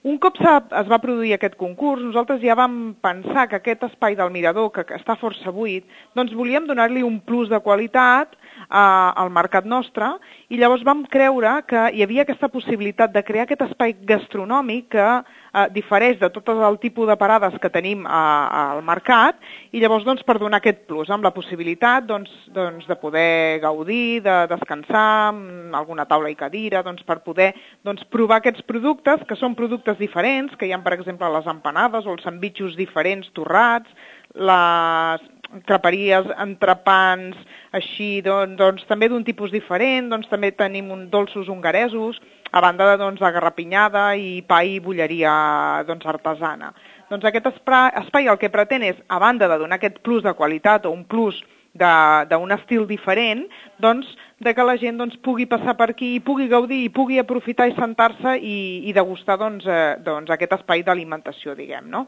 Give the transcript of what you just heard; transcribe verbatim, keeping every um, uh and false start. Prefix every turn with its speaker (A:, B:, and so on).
A: Un cop es va produir aquest concurs, nosaltres ja vam pensar que aquest espai del mirador, que està força buit, doncs volíem donar-li un plus de qualitat eh, al mercat nostre, i llavors vam creure que hi havia aquesta possibilitat de crear aquest espai gastronòmic que eh, difereix de tot el tipus de parades que tenim a, al mercat, i llavors doncs, per donar aquest plus, amb la possibilitat doncs, doncs, de poder gaudir, de descansar, amb alguna taula i cadira, doncs, per poder doncs, provar aquests productes, que són productes diferents, que hi ha, per exemple, les empanades o els sandvitxos diferents torrats, les creperies, entrepans, així, doncs, doncs també d'un tipus diferent, doncs també tenim un dolços hongaresos, a banda de doncs, de garrapinyada i pa i bolleria doncs, artesana. Doncs aquest espai el que pretén és, a banda de donar aquest plus de qualitat o un plus d'un estil diferent, doncs, de que la gent doncs, pugui passar per aquí, pugui gaudir, i pugui aprofitar i sentar-se i, i degustar doncs, eh, doncs, aquest espai d'alimentació, diguem, no?